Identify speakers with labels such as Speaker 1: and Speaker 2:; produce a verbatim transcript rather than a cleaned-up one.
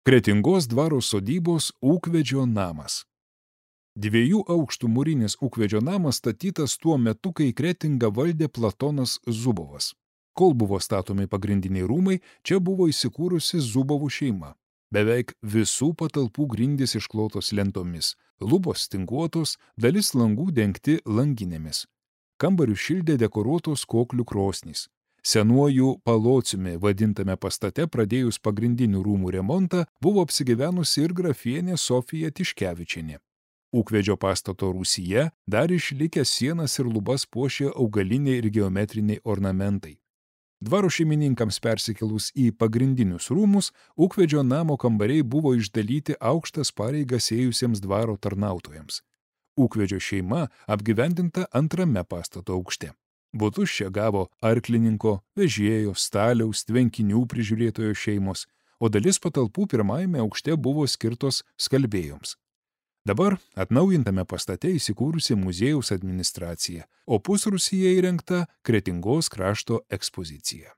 Speaker 1: Kretingos dvaro sodybos ūkvedžio namas. Dviejų aukštų mūrinis ūkvedžio namas statytas tuo metu, kai Kretingą valdė Platonas Zubovas. Kol buvo statomi pagrindiniai rūmai, čia buvo įsikūrusi Zubovų šeima. Beveik visų patalpų grindys išklotos lentomis, lubos tinkuotos, dalis langų dengti langinėmis. Kambarius šildė dekoruotos koklių krosnys. Senuoju palociumi vadintame pastate pradėjus pagrindinių rūmų remontą buvo apsigyvenusi ir grafienė Sofija Tiškevičienė. Ūkvedžio pastato rūsyje dar išlikę sienas ir lubas puošė augaliniai ir geometriniai ornamentai. Dvaro šeimininkams persikėlus į pagrindinius rūmus, ūkvedžio namo kambariai buvo išdalyti aukštas pareigas ėjusiems dvaro tarnautojams. Ūkvedžio šeima apgyvendinta antrame pastato aukšte. Butus čia gavo arklininko, vežėjo, staliaus, tvenkinių prižiūrėtojo šeimos, o dalis patalpų pirmajame aukšte buvo skirtos skalbėjoms. Dabar atnaujintame pastate įsikūrusi muziejaus administracija, o pusrūsyje įrengta Kretingos krašto ekspozicija.